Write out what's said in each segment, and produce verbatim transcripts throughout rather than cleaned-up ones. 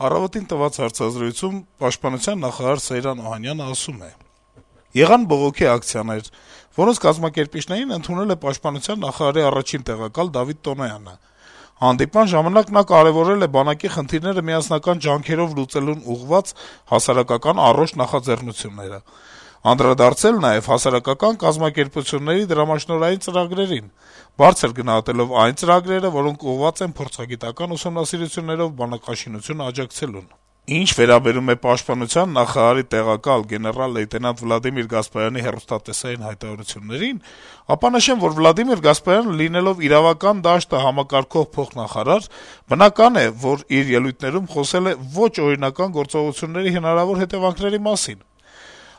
Առավոտին տված հարցազրույցում Պաշտպանության նախարար Սեյրան Օհանյանը ասում է. - «Եղան բողոքի ակցիաներ, որոնց կազմակերպիչներին ընդունել է Պաշտպանության նախարարի առաջին տեղակալ Դավիթ Տոնոյանը: Հանդիպման ժամանակ նա կարեւորել է բանակի խնդիրները միասնական ջանքերով լուծելուն ուղղված հասարակական առողջ նախաձեռնությունները: Անդրադարձել նաեւ հասարակական կազմակերպությունների դրամաշնորհային ծրագրերին, բարձր գնահատելով այն ծրագրերը, որոնք ուղղված են փորձագիտական ուսումնասիրություններով բանակաշինությունը աջակցելուն: Ինչ վերաբերում է Պաշտպանության նախարարի տեղակալ գեներալ-լեյտենանտ Վլադիմիր Գասպարյանի հեռուստատեսային հայտարարություններին, ապա նշեմ, որ Վլադիմիր Գասպարյանը, լինելով իրավական դաշտը համակարգող փոխնախարար, բնական է, որ իր ելույթներում խոսել է ոչ օրինական գործողությունների հնարավոր հետեւանքների մասին: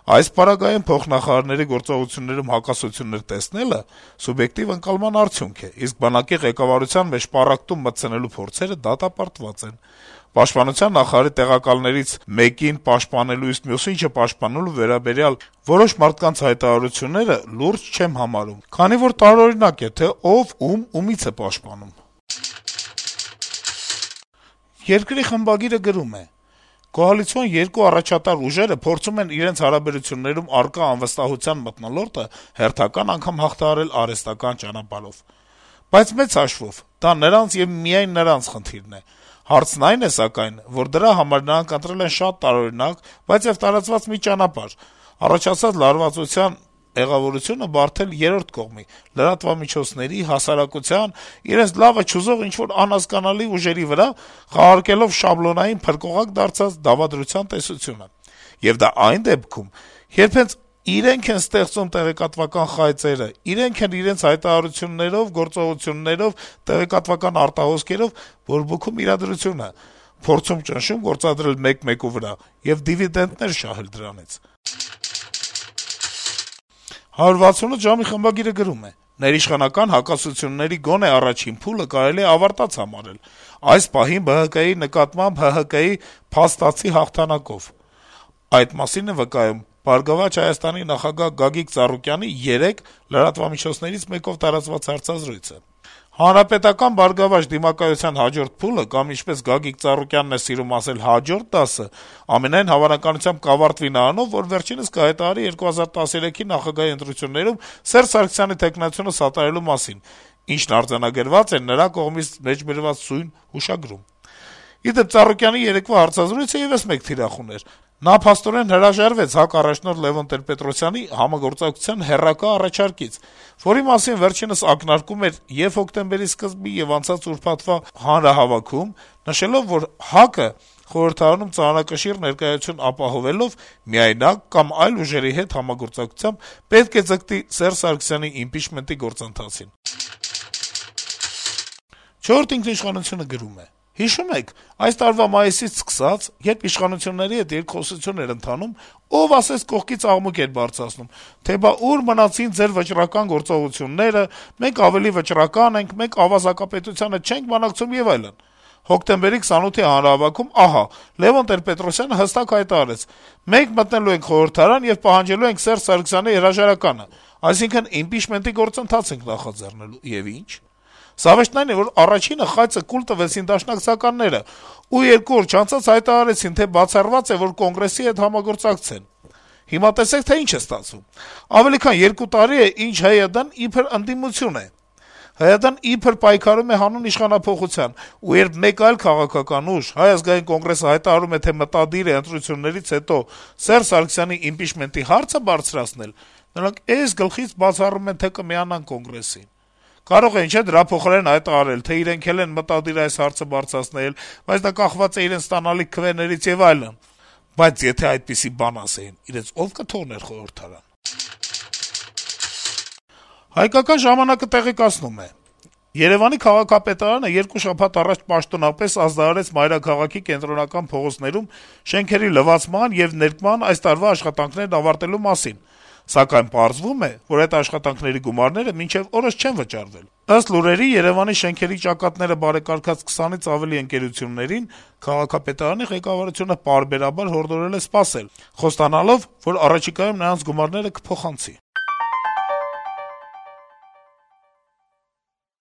Այս պարագայում փոխնախարարների գործողություններում հակասություններ տեսնելը սուբյեկտիվ ընկալման արդյունք է, իսկ բանակի ղեկավարության մեջ պառակտում մտցնելու փորձերը դատապարտված են: Պաշտպանության նախարարի տեղակալներից մեկին պաշտպանելու, իսկ մյուսին չպաշտպանելու վերաբերյալ որոշ մարդկանց հայտարարությունները լուրջ չեմ համարում, քանի որ տարօրինակ է, թե ով ում ումից է պաշտպանում»: «Երկիր» թերթի խմբագիրը գրում է. - «Կոալիցիոն երկու առաջատար ուժերը փորձում են իրենց հարաբերություններում առկա անվստահության մթնոլորտը հերթական անգամ հաղթահարել արհեստական ճանապարհով: Բայց մեծ հաշվով դա նրանց եւ միայն նրանց խնդիրն է: Հարցն այն է, սակայն, որ դրա համար նրանք ընտրել են շատ տարօրինակ, բայց եւ տարածված մի ճանապարհ՝ առաջացած լարվածության մեղավորությունը բարդել երրորդ կողմի՝ լրատվամիջոցների, հասարակության, իրենց լավը չուզող ինչ-որ անհասկանալի ուժերի վրա՝ խաղարկելով շաբլոնային, փրկողակ դարձած դավադրության տեսությունը: Եվ դա այն դեպքում, երբ հենց իրենք են ստեղծում տեղեկատվական խայծերը, իրենք են իրենց հայտարարություններով, գործողություններով, տեղեկատվական արտահոսքերով բորբոքում իրադրությունը, փորձում ճնշում գործադրել մեկ-մեկու վրա եւ դիվիդենտներ շահել դրանից»: «հարյուր վաթսունութ ժամ»-ի խմբագիրը գրում է. - «Ներիշխանական հակասությունների գոնե առաջին փուլը կարելի է ավարտած համարել, այս պահին Բը Հը Կի նկատմամբ Հը Հը Կի փաստացի հաղթանակով: Այդ մասին է վկայում «Բարգավաճ Հայաստան»-ի նախագահ Գագիկ Ծառուկյանի երեկ լրատվամիջոցներից մեկով տարածված հարցազրույցը: Հանրապետական-բարգավաճ դիմակայության հաջորդ փուլը կամ, ինչպես Գագիկ Ծառուկյանն է սիրում ասել, հաջորդ դասը, ամենայն հավանականությամբ կավարտվի նրանով, որ վերջինս կհայտարարի երկու հազար տասներեքի նախագահի ընտրություններում Սերժ Սարգսյանի թեկնածությունը սատարելու մասին, ինչն արձանագրված է նրա կողմից մեջբերված սույն հուշագրում: Ի դեպ, Ծառուկյանի երեկվա հարցազրույցը եւս մեկ թիրախ ուներ: Նա փաստորեն հրաժարվեց ՀԱԿ առաջնորդ Լեւոն Տեր-Պետրոսյանի համագործակցության հեռակա առաջարկից, որի մասին վերջինս ակնարկում էր ե՛ւ հոկտեմբերի սկզբի, ե՛ւ անցած ուրբաթվա հանրահավաքում, նշելով, որ ՀԱԿ-ը խորհրդարանում ծանրակշիռ ներկայություն ապահովելով, միայնակ կամ այլ ուժերի հետ համագործակցությամբ պետք է ձգտի Սերժ Սարգսյանի իմպիչմենտի գործընթացին»: «Չորրորդ ինքնիշխանություն»-ը գրում է. - «Հիշո՞ւմ եք, այս տարվա մայիսից սկսած, երբ իշխանությունների հետ երկխոսություն էր ընթանում, ով ասես կողքից աղմուկ էր բարձրացնում, թե բա ուր մնացին ձեր վճռական գործողությունները, մենք ավելի վճռական ենք, մենք ավազակապետությանը չենք բանակցում եւ այլն: Հոկտեմբերի քսանութի հանրահավաքում ահա Լեւոն Տեր-Պետրոսյանը հստակ հայտարարեց. մենք մտնելու ենք խորհրդարան եւ պահանջելու ենք Սերժ Սարգսյանի հրաժարականը, այսինքն իմպիչմենտի գործընթաց ենք նախաձեռնելու: Եվ ի՞նչ: Զավեշտն այն է, որ առաջինը խայծը կուլ տվեցին դաշնակցականները ու երկու օր չանցած հայտարարեցին, թե բացառված է, որ Կոնգրեսի հետ համագործակցեն: Հիմա տեսեք, թե ինչ է ստացվում: Ավելի քան երկու տարի է, ինչ ՀՅԴ-ն իբր ընդդիմություն է: ՀՅԴ-ն իբր պայքարում է հանուն իշխանափոխության, ու երբ մեկ այլ քաղաքական ուժ՝ Հայ ազգային կոնգրեսը, հայտարարում է, թե մտադիր է ընտրություններից հետո Սերժ Սարգսյանի իմպիչմենտի հարցը բարձրացնել, նրանք էս գլխից բացառում են, թե կմիանան Կոնգրեսին: Կարող էին, չէ՞, դրա փոխարեն հայտարարել, թե իրենք էլ են մտադիր այս հարցը բարձրացնել, բայց դա կախված է իրենց ստանալիք քվեներից եւ այլն: Բայց եթե այդպիսի բան ասեին, իրենց ո՞վ կթողներ խորհրդարան»: «Հայկական ժամանակ»-ը տեղեկացնում է. - «Երեւանի քաղաքապետարանը երկու շաբաթ առաջ պաշտոնապես ազդարարեց մայրաքաղաքի կենտրոնական փողոցներում շենքերի լվացման եւ ներկման այս տարվա աշխատանքներն ավարտելու մասին, սակայն պարզվում է, որ այդ աշխատանքների գումարները մինչեւ օրս չեն վճարվել: Ըստ լուրերի, Երեւանի շենքերի ճակատները բարեկարգած քսանից ավելի ընկերություններին քաղաքապետարանի ղեկավարությունը պարբերաբար հորդորել է սպասել, խոստանալով, որ առաջիկայում նրանց գումարները կփոխանցի: